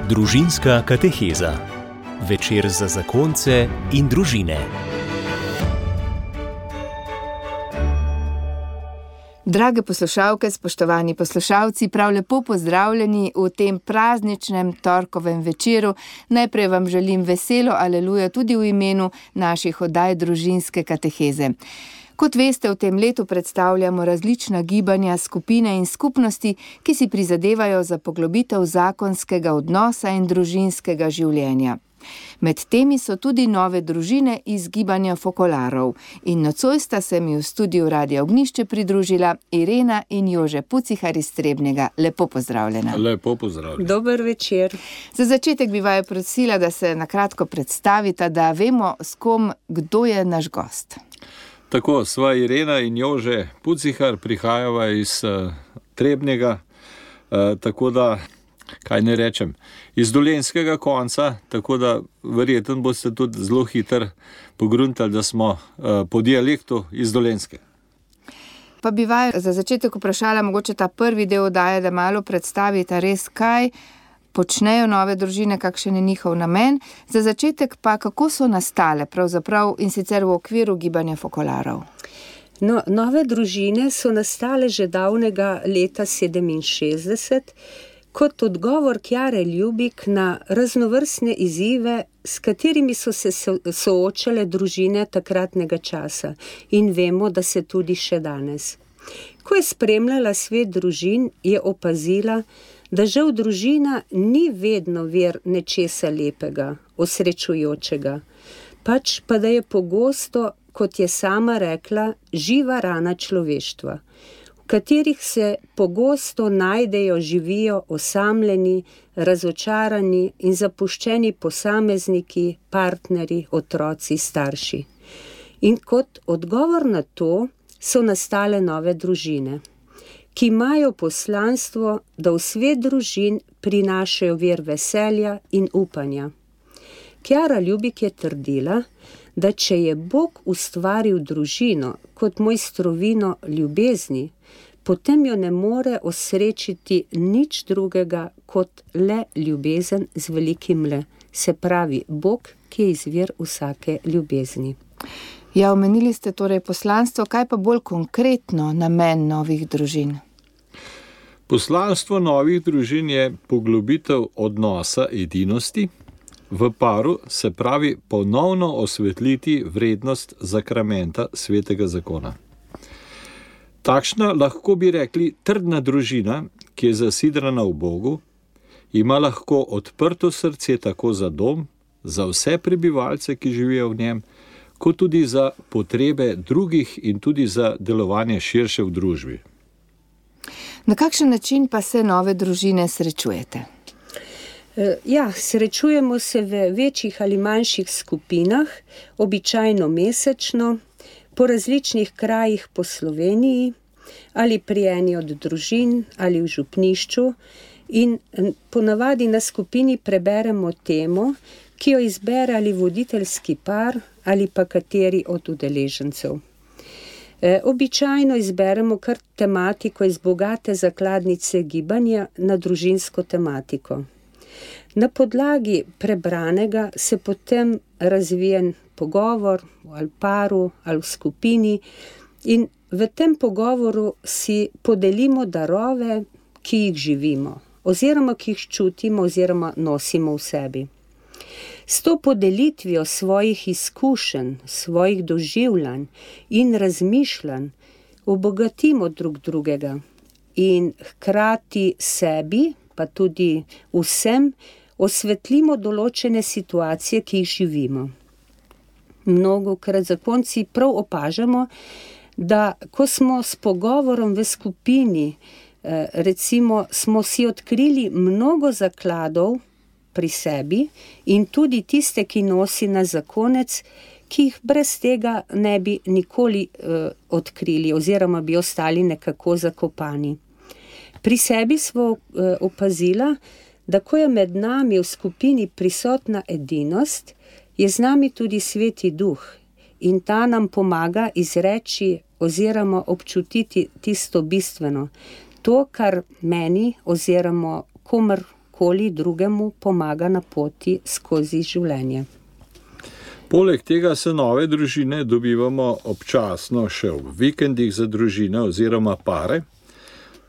Družinska kateheza. Večer za zakonce in družine. Drage poslušalke, spoštovani poslušalci, prav lepo pozdravljeni v tem prazničnem torkovem večeru. Najprej vam želim veselo aleluja tudi v imenu naših oddaj Družinske kateheze. Kot veste, v tem letu predstavljamo različna gibanja, skupine in skupnosti, ki si prizadevajo za poglobitev zakonskega odnosa in družinskega življenja. Med temi so tudi nove družine iz gibanja Fokolarov. In nocoj sta se mi v studiu Radia Ognjišče pridružila Irena in Jože Pucihar iz Trebnjega. Lepo pozdravljena. Lepo pozdravljena. Dober večer. Za začetek bi vaju prosila, da se nakratko predstavita, da vemo, s kom, kdo je naš gost. Tako, sva Irena in Jože Pucihar, prihajava iz Trebnjega, tako da, kaj ne rečem, iz dolenjskega konca, tako da verjetno boste tudi zelo hitro pogruntali, da smo po dialektu iz Dolenjske. Pa bi vaju za začetek vprašala, mogoče ta prvi del oddaje, da malo predstavita res, kaj počnejo nove družine, kakšen je njihov namen. Za začetek pa, kako so nastale pravzaprav in sicer v okviru gibanja Fokolarov? No, nove družine so nastale že davnega leta 67, kot odgovor Kjare Ljubik na raznovrstne izzive, s katerimi so se soočale družine takratnega časa. In vemo, da se tudi še danes. Ko je spremljala svet družin, je opazila, da žal družina ni vedno vir nečesa lepega, osrečujočega, pač pa da je pogosto, kot je sama rekla, živa rana človeštva, v katerih se pogosto najdejo, živijo osamljeni, razočarani in zapuščeni posamezniki, partnerji, otroci, starši. In kot odgovor na to so nastale nove družine, ki imajo poslanstvo, da v svet družin prinašajo vir veselja in upanja. Kjara Ljubik je trdila, da če je Bog ustvaril družino kot mojstrovino ljubezni, potem jo ne more osrečiti nič drugega kot le ljubezen z velikim L, se pravi Bog, ki je izvir vsake ljubezni. Ja, omenili ste torej poslanstvo, kaj pa bolj konkretno namen novih družin? Poslanstvo novih družin je poglobitev odnosa edinosti v paru, se pravi ponovno osvetliti vrednost zakramenta svetega zakona. Takšna, lahko bi rekli, trdna družina, ki je zasidrana v Bogu, ima lahko odprto srce tako za dom, za vse prebivalce, ki živijo v njem, kot tudi za potrebe drugih in tudi za delovanje širše v družbi. Na kakšen način pa se nove družine srečujete? Ja, srečujemo se v večjih ali manjših skupinah, običajno mesečno, po različnih krajih po Sloveniji, ali pri eni od družin, ali v župnišču, in ponavadi na skupini preberemo temo, ki jo izbere ali voditeljski par, ali pa kateri od udeležencev. Običajno izberemo kar tematiko iz bogate zakladnice gibanja na družinsko tematiko. Na podlagi prebranega se potem razvije pogovor ali paru ali v skupini in v tem pogovoru si podelimo darove, ki jih živimo, oziroma ki jih čutimo oziroma nosimo v sebi. S to podelitvijo svojih izkušenj, svojih doživljanj in razmišljanj obogatimo drug drugega in hkrati sebi, pa tudi vsem, osvetlimo določene situacije, ki jih živimo. Mnogokrat zakonci prav opažamo, da ko smo s pogovorom v skupini, recimo smo si odkrili mnogo zakladov pri sebi in tudi tiste, ki nosi na zakonec, ki jih brez tega ne bi nikoli odkrili oziroma bi ostali nekako zakopani. Pri sebi smo opazila, da ko je med nami v skupini prisotna edinost, je z nami tudi Sveti Duh in ta nam pomaga izreči oziroma občutiti tisto bistveno, to, kar meni oziroma kdorkoli drugemu pomaga na poti skozi življenje. Poleg tega se nove družine dobivamo občasno še v vikendih za družine oziroma pare.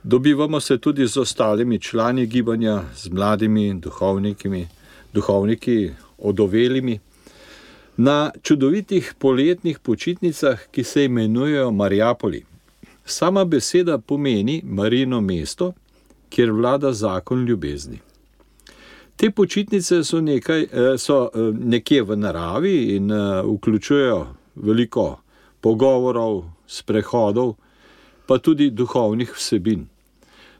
Dobivamo se tudi z ostalimi člani gibanja, z mladimi duhovniki, odovelimi. Na čudovitih poletnih počitnicah, ki se imenujejo Mariapoli. Sama beseda pomeni Marijino mesto, kjer vlada zakon ljubezni. Te počitnice so nekje v naravi in vključujejo veliko pogovorov, sprehodov, pa tudi duhovnih vsebin.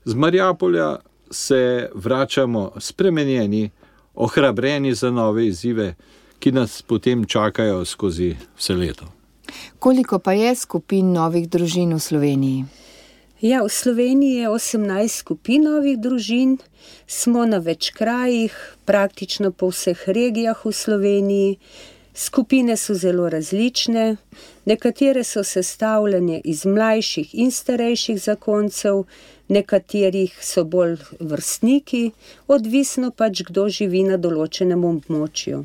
Z Mariapolja se vračamo spremenjeni, ohrabreni za nove izzive, ki nas potem čakajo skozi vse leto. Koliko pa je skupin novih družin v Sloveniji? Ja, v Sloveniji je 18 skupin novih družin, smo na več krajih, praktično po vseh regijah v Sloveniji. Skupine so zelo različne, nekatere so sestavljene iz mlajših in starejših zakoncev, nekaterih so bolj vrstniki, odvisno pač kdo živi na določenem območju.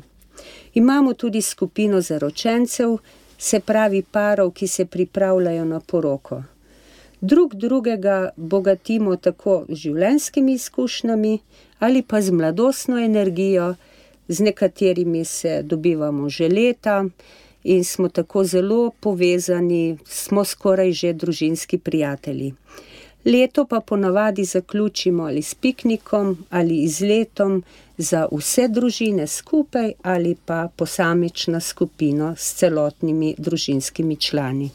Imamo tudi skupino zaročencev, se pravi parov, ki se pripravljajo na poroko. Drugega bogatimo tako z življenjskimi izkušnjami ali pa z mladostno energijo, z nekaterimi se dobivamo že leta in smo tako zelo povezani, smo skoraj že družinski prijatelji. Leto pa ponavadi zaključimo ali s piknikom ali izletom za vse družine skupaj ali pa posamična skupina s celotnimi družinskimi člani.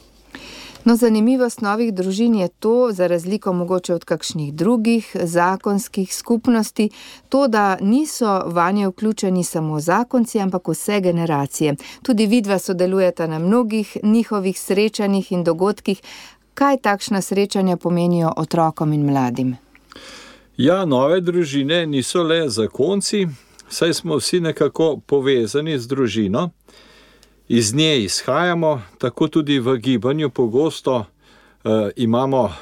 No, zanimivost novih družin je to, za razliko mogoče od kakšnih drugih zakonskih skupnosti, to, da niso vanje vključeni samo zakonci, ampak vse generacije. Tudi vidva sodelujeta na mnogih njihovih srečanjih in dogodkih. Kaj takšna srečanja pomenijo otrokom in mladim? Ja, nove družine niso le zakonci, saj smo vsi nekako povezani z družino. Iz nje izhajamo, tako tudi v gibanju pogosto imamo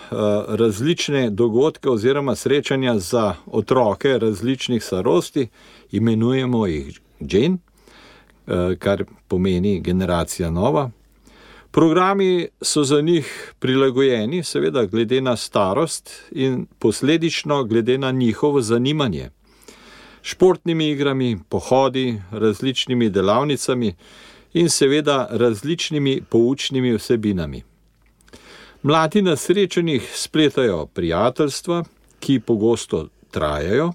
različne dogodke oziroma srečanja za otroke različnih starosti, imenujemo jih Gen, kar pomeni generacija nova. Programi so za njih prilagojeni, seveda glede na starost in posledično glede na njihovo zanimanje. Športnimi igrami, pohodi, različnimi delavnicami in seveda različnimi poučnimi vsebinami. Mladi na srečanjih spletajo prijateljstva, ki pogosto trajajo.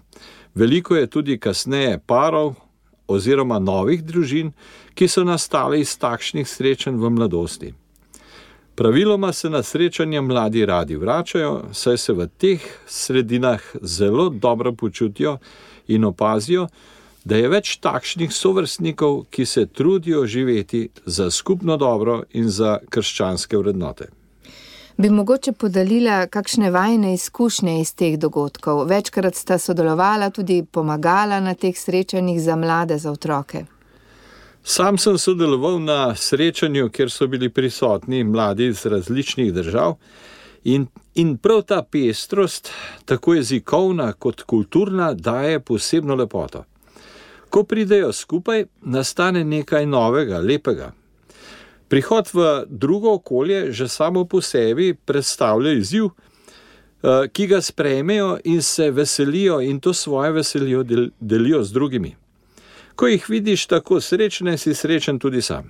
Veliko je tudi kasneje parov oziroma novih družin, ki so nastale iz takšnih srečanj v mladosti. Praviloma se na srečanja mladi radi vračajo, saj se v teh sredinah zelo dobro počutijo in opazijo, da je več takšnih sovrstnikov, ki se trudijo živeti za skupno dobro in za krščanske vrednote. Bi mogoče podelila kakšne vajine izkušnje iz teh dogodkov? Večkrat sta sodelovala, tudi pomagala na teh srečanjih za mlade, za otroke. Sam sem sodeloval na srečanju, kjer so bili prisotni mladi iz različnih držav in prav ta pestrost, tako jezikovna kot kulturna, daje posebno lepoto. Ko pridejo skupaj, nastane nekaj novega, lepega. Prihod v drugo okolje že samo po sebi predstavlja izziv, ki ga sprejmejo in se veselijo in to svoje veselijo delijo z drugimi. Ko jih vidiš tako srečne, si srečen tudi sam.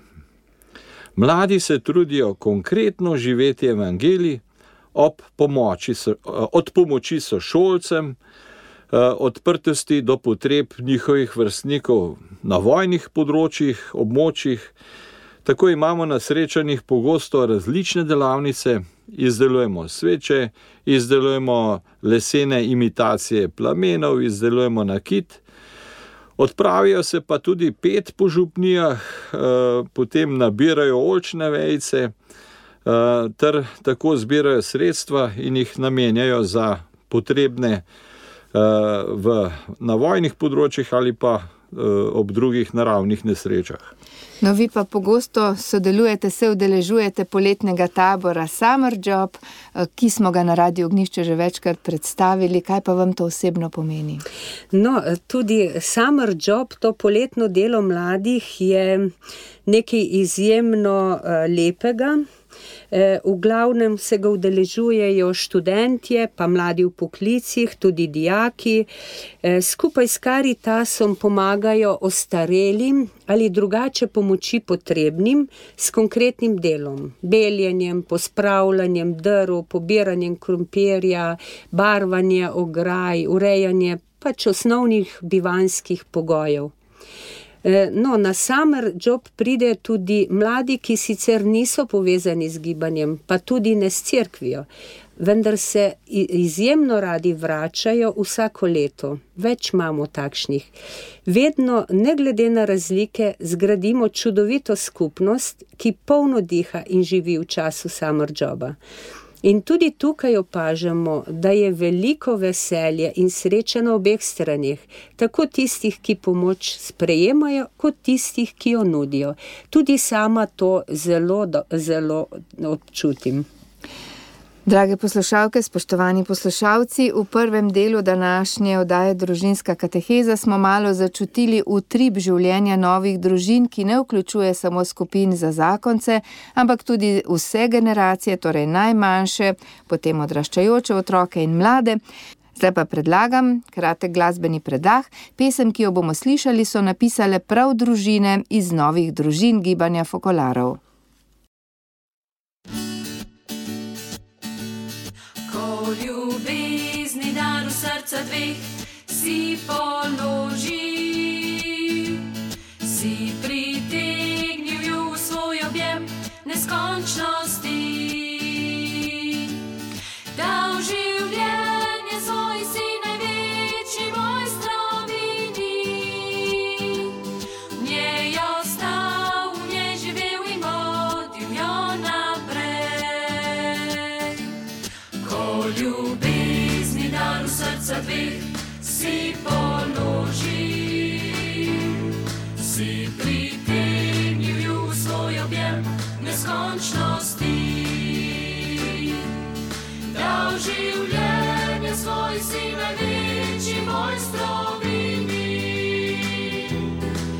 Mladi se trudijo konkretno živeti evangelij od pomoči sošolcem, odprtosti do potreb njihovih vrstnikov na vojnih območjih. Tako imamo na srečanjih pogosto različne delavnice, izdelujemo sveče, izdelujemo lesene imitacije plamenov, izdelujemo nakit. Odpravijo se pa tudi pet po župnijah, potem nabirajo oljčne vejice, ter tako zbirajo sredstva in jih namenjajo za potrebne na vojnih področjih ali pa ob drugih naravnih nesrečah. No, vi pa pogosto sodelujete, se udeležujete poletnega tabora Summer Job, ki smo ga na Radiu Ognjišče že večkrat predstavili. Kaj pa vam to osebno pomeni? No, tudi Summer Job, to poletno delo mladih, je nekaj izjemno lepega. V glavnem se ga udeležujejo študentje, pa mladi v poklicih, tudi dijaki. Skupaj s Caritasom pomagajo ostarelim ali drugače pomoči potrebnim s konkretnim delom. Beljenjem, pospravljanjem drv, pobiranjem krompirja, barvanje ograj, urejanje pač osnovnih bivanjskih pogojev. No, na Summer Job pride tudi mladi, ki sicer niso povezani z gibanjem, pa tudi ne s cerkvijo, vendar se izjemno radi vračajo vsako leto. Več imamo takšnih. Vedno, ne glede na razlike, zgradimo čudovito skupnost, ki polno diha in živi v času Summer Joba. In tudi tukaj opažamo, da je veliko veselje in sreče na obeh straneh, tako tistih, ki pomoč sprejemajo, kot tistih, ki jo nudijo. Tudi sama to zelo občutim. Drage poslušalke, spoštovani poslušalci, v prvem delu današnje oddaje Družinska kateheza smo malo začutili utrip življenja novih družin, ki ne vključuje samo skupin za zakonce, ampak tudi vse generacije, torej najmanjše, potem odraščajoče otroke in mlade. Zdaj pa predlagam kratek glasbeni predah. Pesem, ki jo bomo slišali, so napisale prav družine iz novih družin gibanja Fokolarov. Ljubezni dar v srca dveh si položi, si pritegnil ju v svoj objem neskončnosti, dal življenje svoj si največji mojstrovini, v njej ostal, v njej živel in vodil jo naprej. Ko ljubezni dar v srca dveh si položi, si pritegnil ju v svoj objem neskončnosti, dal življenje svoj si največji mojstrovini,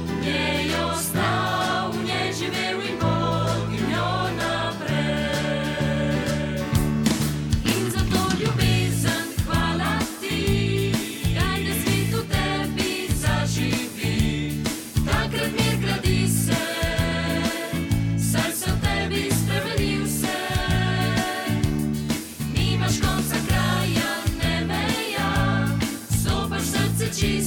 v njej ostal, v njej živel in vodil jo naprej. In za to ljubezen hvala ti, daj da svet v tebi zaživi, takrat mir gradi se, saj se v tebi spremeni vse. Nimaš konca kraja, ne meja, stopaš srce čisto.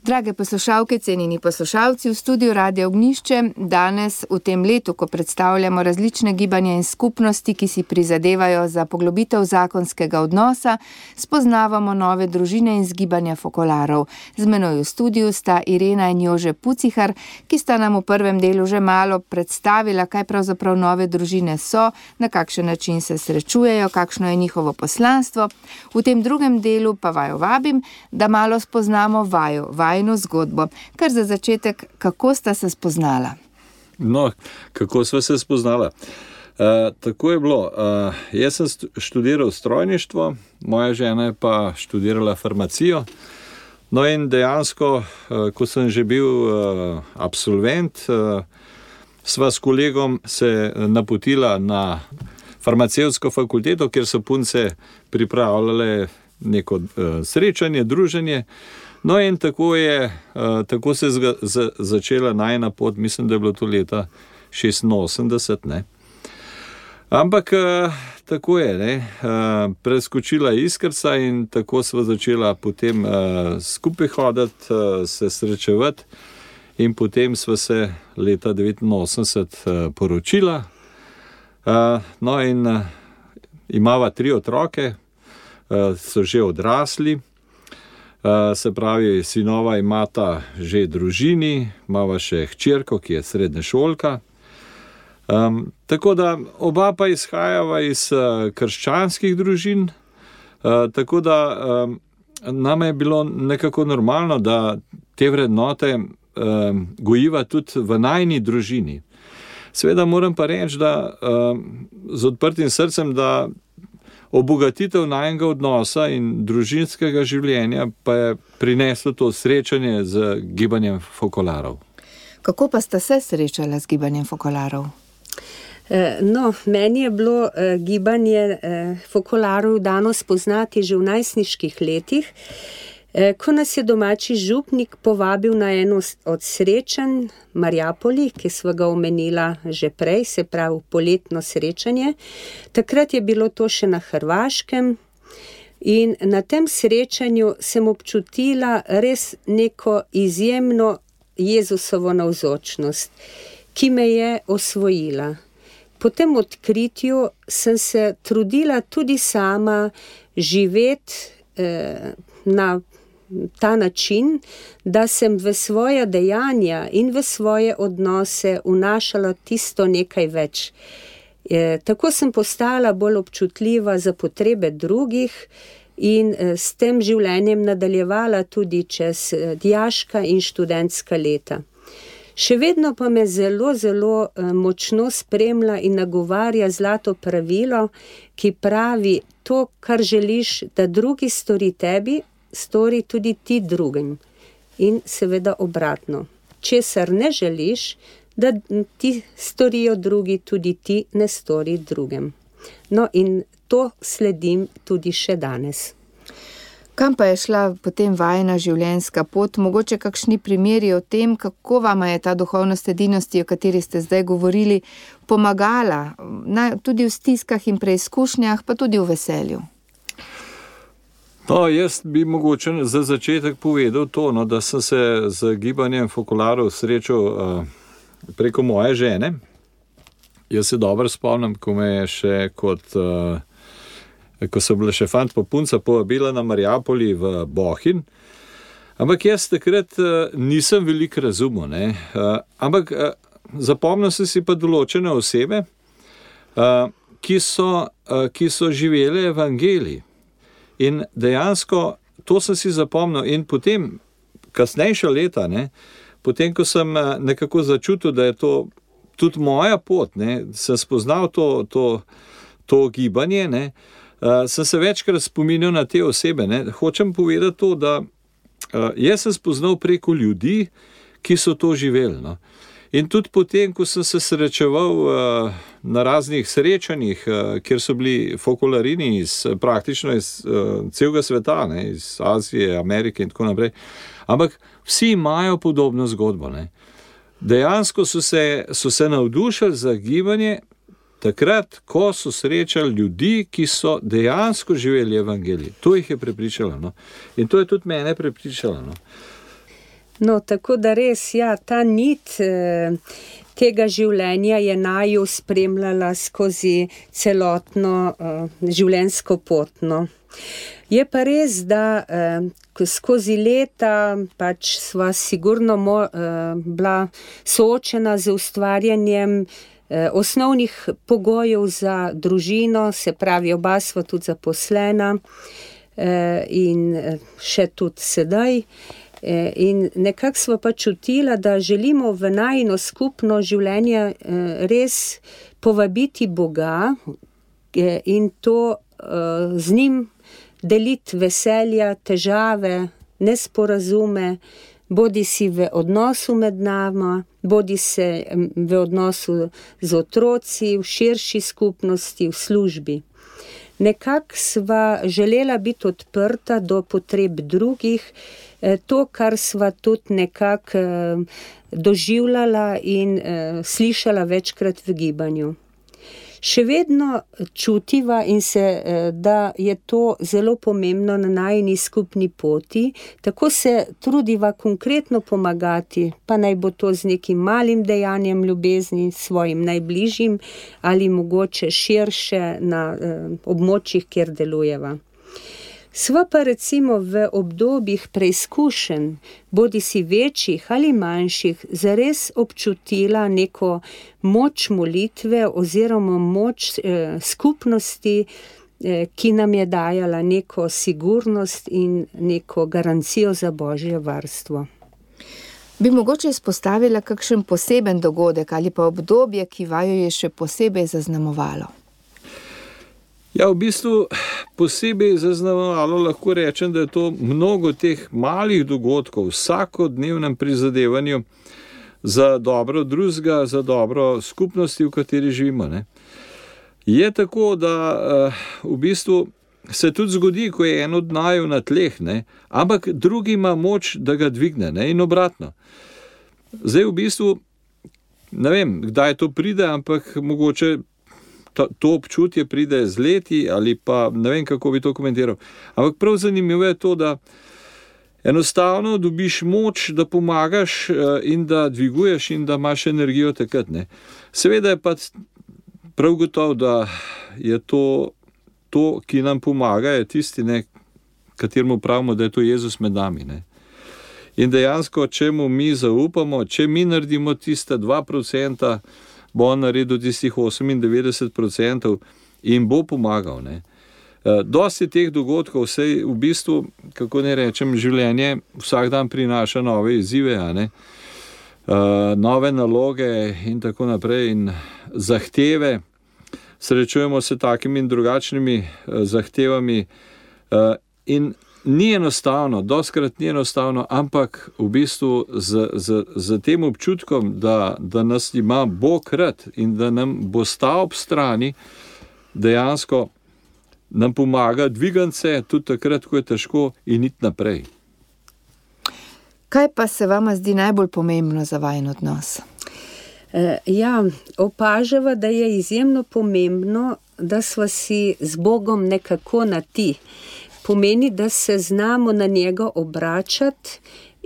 Drage poslušalke, cenjeni poslušalci, v studiu Radia Ognjišče danes v tem letu, ko predstavljamo različne gibanja in skupnosti, ki si prizadevajo za poglobitev zakonskega odnosa, spoznavamo nove družine in gibanja fokolarov. Z menoj v studiu sta Irena in Jože Pucihar, ki sta nam v prvem delu že malo predstavila, kaj pravzaprav nove družine so, na kakšen način se srečujejo, kakšno je njihovo poslanstvo. V tem drugem delu pa vaju vabim, da malo spoznamo vajino zgodbo. Kar za začetek, kako sta se spoznala? No, kako sva se spoznala? Tako je bilo. Jaz sem študiral strojništvo, moja žena je pa študirala farmacijo. No in dejansko, ko sem že bil absolvent, sva s kolegom se napotila na farmacevtsko fakulteto, kjer so punce pripravljale neko srečanje, druženje. No in tako se je začela najina pot, mislim, da je bilo to leta 86, ne. Ampak tako je, ne, preskočila iskrca in tako sva začela potem skupaj hoditi, se srečevati in potem sva se leta 89 poročila. No in imava 3 otroke, so že odrasli. Se pravi, sinova imata že družini, imava še hčerko, ki je srednješolka. Tako da oba pa izhajava iz krščanskih družin, tako da nam je bilo nekako normalno, da te vrednote gojiva tudi v najini družini. Seveda moram pa reči, da z odprtim srcem, da obogatitev najinega odnosa in družinskega življenja pa je prineslo to srečanje z gibanjem fokolarov. Kako pa sta se srečala z gibanjem fokolarov? No, meni je bilo gibanje fokolarov dano spoznati že v najstniških letih, ko nas je domači župnik povabil na eno od srečanj Mariapoli, ki sva ga omenila že prej, se pravi poletno srečanje. Takrat je bilo to še na Hrvaškem in na tem srečanju sem občutila res neko izjemno Jezusovo navzočnost, ki me je osvojila. Po tem odkritju sem se trudila tudi sama živeti na ta način, da sem v svoja dejanja in v svoje odnose vnašala tisto nekaj več. Tako sem postala bolj občutljiva za potrebe drugih in s tem življenjem nadaljevala tudi čez dijaška in študentska leta. Še vedno pa me zelo, zelo močno spremlja in nagovarja zlato pravilo, ki pravi: to, kar želiš, da drugi stori tebi, stori tudi ti drugim. In seveda obratno. Česar ne želiš, da ti storijo drugi, tudi ti ne stori drugim. No in to sledim tudi še danes. Kam pa je šla potem vajina življenjska pot? Mogoče kakšni primeri o tem, kako vama je ta duhovnost edinosti, o kateri ste zdaj govorili, pomagala, tudi v stiskah in preizkušnjah, pa tudi v veselju? No, jaz bi mogoče za začetek povedal to, no, da sem se z gibanjem fokolarov srečal preko moje žene. Jaz se dobro spomnim, ko me je še ko so bile še fant pa punca povabila na Mariapoli v Bohinj. Ampak jaz takrat nisem veliko razumel, ne. Ampak zapomnil sem si pa določene osebe, ki so živele evangelij. In dejansko to sem si zapomnil in potem, kasnejša leta, ne, potem, ko sem nekako začutil, da je to tudi moja pot, ne, sem spoznal to gibanje, ne, sem se večkrat spominjal na te osebe, ne. Hočem povedati to, da jaz sem spoznal preko ljudi, ki so to živeli, no. In tudi potem, ko sem se srečeval na raznih srečanjih, kjer so bili fokolarini praktično iz celega sveta, ne, iz Azije, Amerike in tako naprej, ampak vsi imajo podobno zgodbo, ne. Dejansko so se navdušili za gibanje takrat, ko so srečali ljudi, ki so dejansko živeli evangelij. To jih je prepričalo, no. In to je tudi mene prepričalo, no. No, tako da res, ja, ta nit tega življenja je naju spremljala skozi celotno življenjsko pot, no. Je pa res, da skozi leta pač sva sigurno bila soočena z ustvarjanjem osnovnih pogojev za družino, se pravi, oba sva tudi zaposlena in še tudi sedaj. In nekako sva pa čutila, da želimo v najino skupno življenje res povabiti Boga in to z njim deliti veselja, težave, nesporazume, bodi si v odnosu med nama, bodi se v odnosu z otroci, v širši skupnosti, v službi. Nekako sva želela biti odprta do potreb drugih, to, kar sva tudi nekako doživljala in slišala večkrat v gibanju. Še vedno čutiva in da je to zelo pomembno na najini skupni poti, tako se trudiva konkretno pomagati, pa naj bo to z nekim malim dejanjem ljubezni svojim najbližjim ali mogoče širše na območjih, kjer delujeva. Sva pa recimo v obdobjih preizkušenj, bodi si večjih ali manjših, zares občutila neko moč molitve oziroma moč skupnosti, ki nam je dajala neko sigurnost in neko garancijo za Božje varstvo. Bi mogoče izpostavila kakšen poseben dogodek ali pa obdobje, ki vaju je še posebej zaznamovalo? Ja, v bistvu posebej zaznamovalo lahko rečem, da je to mnogo teh malih dogodkov v vsakodnevnem prizadevanju za dobro drugega, za dobro skupnosti, v kateri živimo, ne. Je tako, da v bistvu se tudi zgodi, ko je en od naju na tleh, ne, ampak drugi ima moč, da ga dvigne, ne, in obratno. Zdaj v bistvu, ne vem, kdaj to pride, ampak mogoče to občutje pride z leti ali pa ne vem, kako bi to komentiral. Ampak prav zanimivo je to, da enostavno dobiš moč, da pomagaš in da dviguješ in da imaš energijo takrat, ne. Seveda je pa prav gotovo, da je to, ki nam pomaga, je tisti, ne, kateremu pravimo, da je to Jezus med nami, ne. In dejansko, če mu mi zaupamo, če mi naredimo tiste 2%, bo on naredil tistih 98% in bo pomagal, ne. Dosti teh dogodkov, saj v bistvu, kako ne rečem, življenje vsak dan prinaša nove izzive, a ne, nove naloge in tako naprej in zahteve. Srečujemo se takimi in drugačnimi zahtevami in ni enostavno, dostikrat ni enostavno, ampak v bistvu z tem občutkom, da nas ima Bog rad in da nam bo stal ob strani, dejansko nam pomaga dvigati se tudi takrat, ko je težko in iti naprej. Kaj pa se vama zdi najbolj pomembno za vajin odnos? Ja, opažava, da je izjemno pomembno, da sva si z Bogom nekako na ti. Pomeni, da se znamo na njega obračati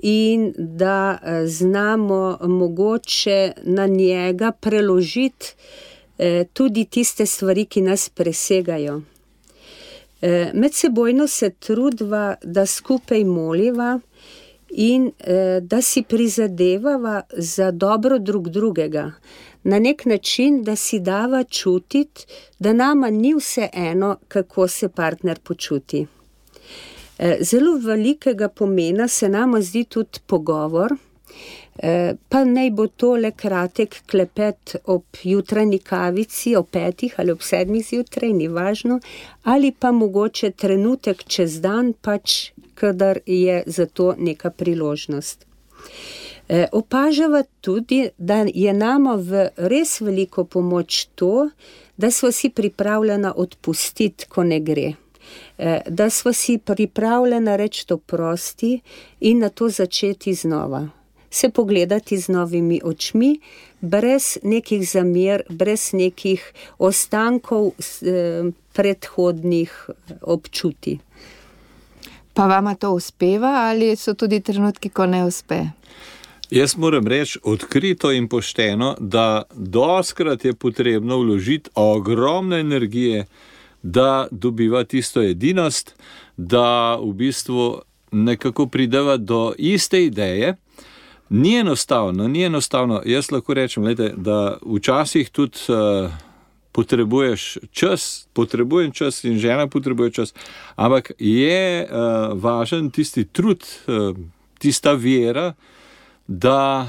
in da znamo mogoče na njega preložiti tudi tiste stvari, ki nas presegajo. Medsebojno se trudiva, da skupaj moliva in da si prizadevava za dobro drug drugega. Na nek način, da si dava čutiti, da nama ni vseeno, kako se partner počuti. Zelo velikega pomena se nama zdi tudi pogovor, pa naj bo to le kratek klepet ob jutranji kavici, ob 5 ali ob 7 zjutraj, ni važno, ali pa mogoče trenutek čez dan, pač kadar je za to neka priložnost. Opažava tudi, da je nama v res veliko pomoč to, da sva si pripravljena odpustiti, ko ne gre. Da sva si pripravljena reči oprosti in na to začeti znova. Se pogledati z novimi očmi, brez nekih zamer, brez nekih ostankov predhodnih občutij. Pa vama to uspeva ali so tudi trenutki, ko ne uspe? Jaz moram reči odkrito in pošteno, da dostikrat je potrebno vložiti ogromno energije, da dobiva tisto edinost, da v bistvu nekako prideva do iste ideje. Ni enostavno. Jaz lahko rečem, da včasih tudi potrebuješ čas, potrebujem čas in žena potrebuje čas, ampak je važen tisti trud, tista vera, da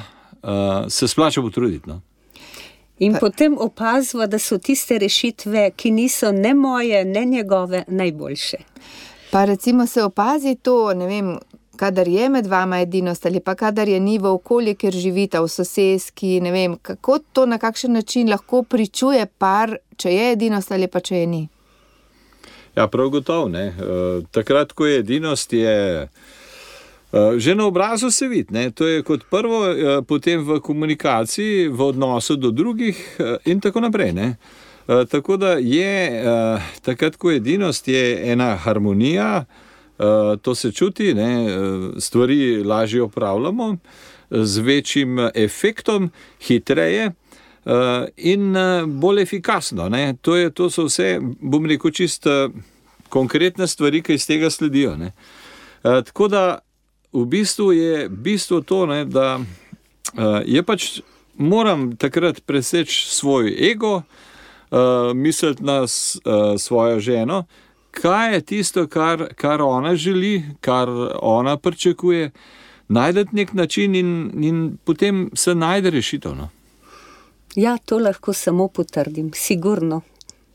se splača potruditi. No? In potem opazva, da so tiste rešitve, ki niso ne moje, ne njegove, najboljše. Pa recimo se opazi to, ne vem, kadar je med vama edinost ali pa kadar je ni v okolju, kjer živita, v soseski, ne vem, kako to na kakšen način lahko pričuje par, če je edinost ali pa če je ni? Ja, prav gotovo, ne. Takrat, ko je edinost, je že na obrazu se vidi, ne. To je kot prvo, potem v komunikaciji, v odnosu do drugih in tako naprej, ne. Tako da je, takrat, ko je edinost, je ena harmonija, to se čuti, ne, stvari lažje opravljamo, z večjim efektom, hitreje in bolj efikasno. Ne. To so vse, bom rekel, čisto konkretne stvari, ki iz tega sledijo. Ne. Tako da v bistvu je to, ne, da je pač moram takrat preseči svoj ego, misliti na svojo ženo, kaj je tisto, kar ona želi, kar ona pričakuje, najdeti nek način in potem se najde rešitev. No? Ja, to lahko samo potrdim, sigurno.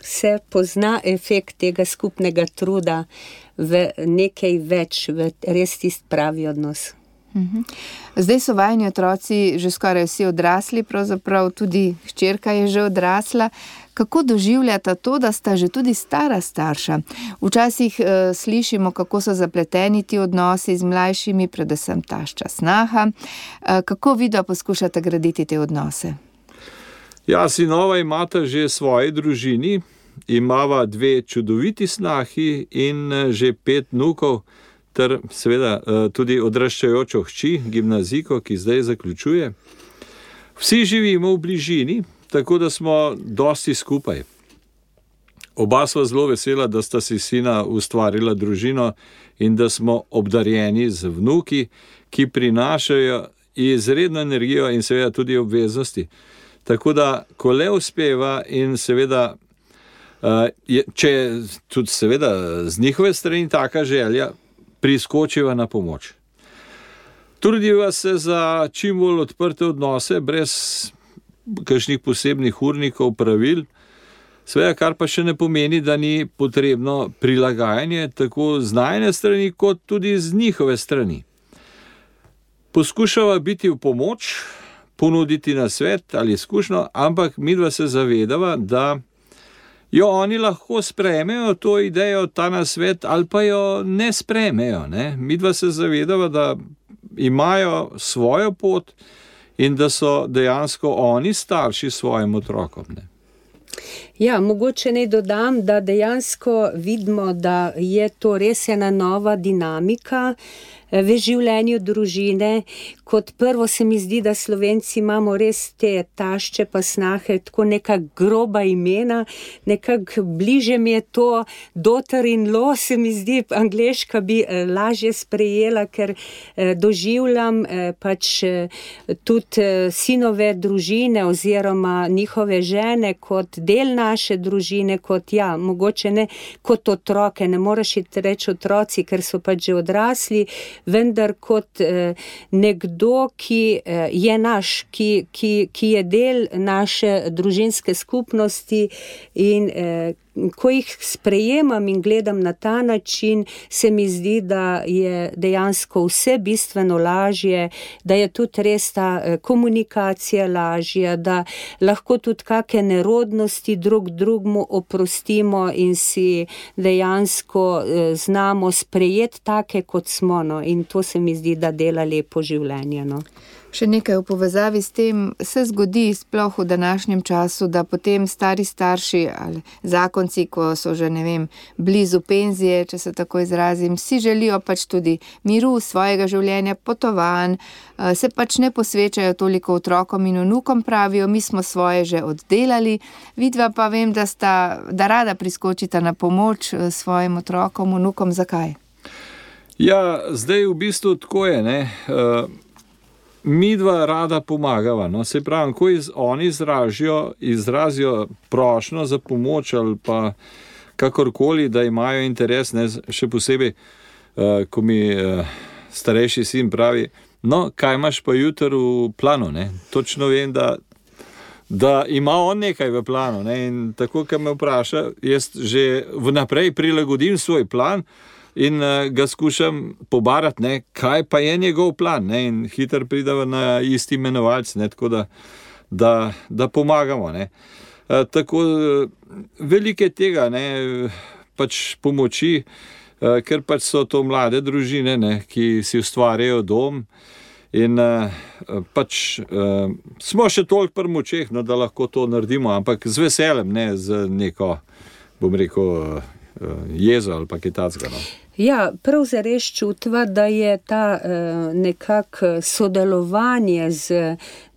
Se pozna efekt tega skupnega truda v nekaj več, v res tisti pravi odnos. Zdaj so vajini otroci že skoraj vsi odrasli, pravzaprav tudi hčerka je že odrasla. Kako doživljata to, da sta že tudi stara starša? Včasih slišimo, kako so zapleteni ti odnosi z mlajšimi, predvsem tašča snaha. Kako vidva poskušata graditi te odnose? Ja, sinova imata že svoji družini, imava 2 čudoviti snahi in že 5 vnukov, ter seveda tudi odraščajočo hči, gimnazijko, ki zdaj zaključuje. Vsi živimo v bližini, tako da smo dosti skupaj. Oba sva zelo vesela, da sta si sina ustvarila družino in da smo obdarjeni z vnuki, ki prinašajo izredno energijo in seveda tudi obveznosti. Tako da, ko le uspeva in seveda, če tudi seveda z njihove strani taka želja, priskočiva na pomoč. Trudiva se za čim bolj odprte odnose, brez kakšnih posebnih urnikov, pravil, seveda, kar pa še ne pomeni, da ni potrebno prilagajanje tako z najine strani, kot tudi z njihove strani. Poskušava biti v pomoč, ponuditi nasvet ali izkušnjo, ampak midva se zavedava, da jo oni lahko sprejmejo to idejo, ta nasvet, ali pa jo ne sprejmejo. Ne? Midva se zavedava, da imajo svojo pot in da so dejansko oni starši svojim otrokom. Ne? Ja, mogoče naj dodam, da dejansko vidimo, da je to res ena nova dinamika v življenju družine. Kot prvo se mi zdi, da Slovenci imamo res te tašče pa snahe, tako neka groba imena, nekako bliže mi je to daughter-in-law, se mi zdi, angleška bi lažje sprejela, ker doživljam pač tudi sinove družine oziroma njihove žene kot del naše družine, kot ja, mogoče ne kot otroke, ne moreš reči otroci, ker so pač že odrasli, vendar kot nekdo, ki je naš, ki je del naše družinske skupnosti in ko jih sprejemam in gledam na ta način, se mi zdi, da je dejansko vse bistveno lažje, da je tudi res ta komunikacija lažja, da lahko tudi kakšne nerodnosti drugmu oprostimo in si dejansko znamo sprejeti take, kot smo. No. In to se mi zdi, da dela lepo življenje. No. Še nekaj v povezavi s tem se zgodi sploh v današnjem času, da potem stari starši ali zakonci, ko so že, blizu penzije, če se tako izrazim, si želijo pač tudi miru svojega življenja, potovanj, se pač ne posvečajo toliko otrokom in vnukom, pravijo, mi smo svoje že oddelali, vidva pa vem, da rada priskočita na pomoč svojim otrokom, vnukom, zakaj? Ja, zdaj v bistvu tako je, ne. Midva rada pomagava, no, se pravi, ko oni izrazijo prošnjo za pomoč ali pa kakorkoli, da imajo interes, ne, še posebej, ko mi starejši sin pravi, no, kaj imaš pa jutri v planu, ne, točno vem, da ima on nekaj v planu, ne, in tako, ko me vpraša, jaz že vnaprej prilagodim svoj plan, in ga skušam pobarati, ne, kaj pa je njegov plan, ne, in hitro prideva na isti imenovalc, ne, tako da pomagamo, ne. Tako velike tega, ne, pač pomoči, ker pač so to mlade družine, ne, ki si ustvarjajo dom in pač smo še toliko pri močeh, no, da lahko to naredimo, ampak z veseljem, ne z neko, bom rekel, jezo ali pa kaj takega, no. Ja, prav zares čutva, da je ta nekako sodelovanje z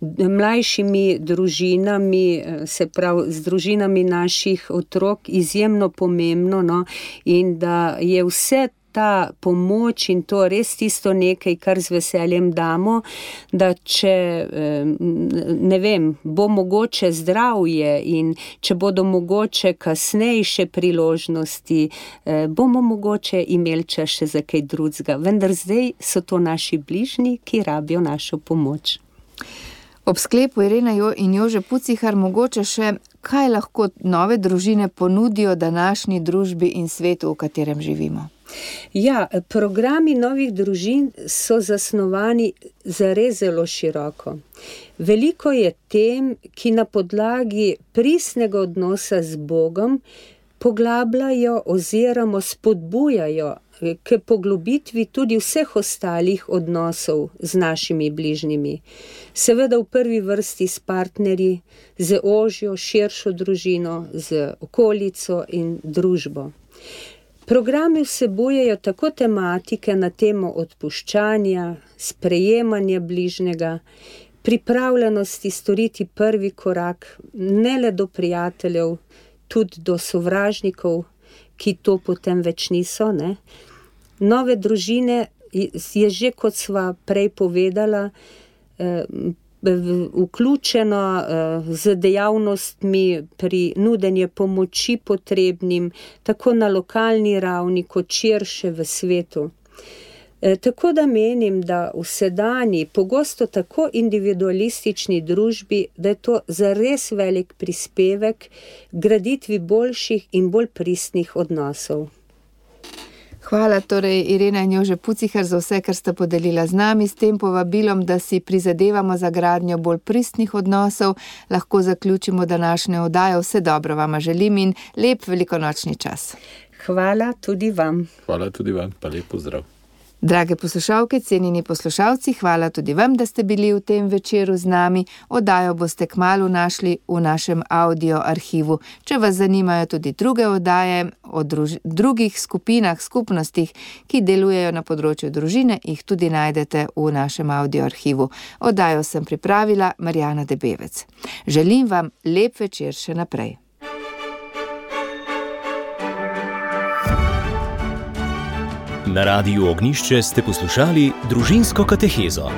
mlajšimi družinami, se pravi z družinami naših otrok, izjemno pomembno, no, in da je vse ta pomoč in to res tisto nekaj, kar z veseljem damo, da če, bo mogoče zdravje in če bodo mogoče kasnejše priložnosti, bomo mogoče imeli čas še za kaj drugega. Vendar zdaj so to naši bližnji, ki rabijo našo pomoč. Ob sklepu Irena in Jože Pucihar mogoče še, kaj lahko nove družine ponudijo današnji družbi in svetu, v katerem živimo? Ja, programi novih družin so zasnovani zares zelo široko. Veliko je tem, ki na podlagi pristnega odnosa z Bogom poglabljajo oziroma spodbujajo k poglobitvi tudi vseh ostalih odnosov z našimi bližnjimi. Seveda v prvi vrsti s partnerji, z ožjo, širšo družino, z okolico in družbo. Programi vsebujejo tako tematike na temo odpuščanja, sprejemanja bližnjega, pripravljenosti storiti prvi korak, ne le do prijateljev, tudi do sovražnikov, ki to potem več niso, ne. Nove družine je že, kot sva prej povedala, vključeno z dejavnostmi pri nudenju pomoči potrebnim, tako na lokalni ravni, kot širše v svetu. Tako da menim, da v sedanji, pogosto tako individualistični družbi, da je to zares velik prispevek graditvi boljših in bolj pristnih odnosov. Hvala torej Irena in Jože Pucihar za vse, kar sta podelila z nami, s tem povabilom, da si prizadevamo za gradnjo bolj pristnih odnosov. Lahko zaključimo današnjo oddajo. Vse dobro vama želim in lep velikonočni čas. Hvala tudi vam. Hvala tudi vam, pa lep pozdrav. Drage poslušalke, cenjeni poslušalci, hvala tudi vam, da ste bili v tem večeru z nami. Oddajo boste kmalu našli v našem audio arhivu. Če vas zanimajo tudi druge oddaje o drugih skupinah, skupnostih, ki delujejo na področju družine, jih tudi najdete v našem audio arhivu. Oddajo sem pripravila Marjana Debevec. Želim vam lep večer še naprej. Na Radiu Ognjišče ste poslušali Družinsko katehezo.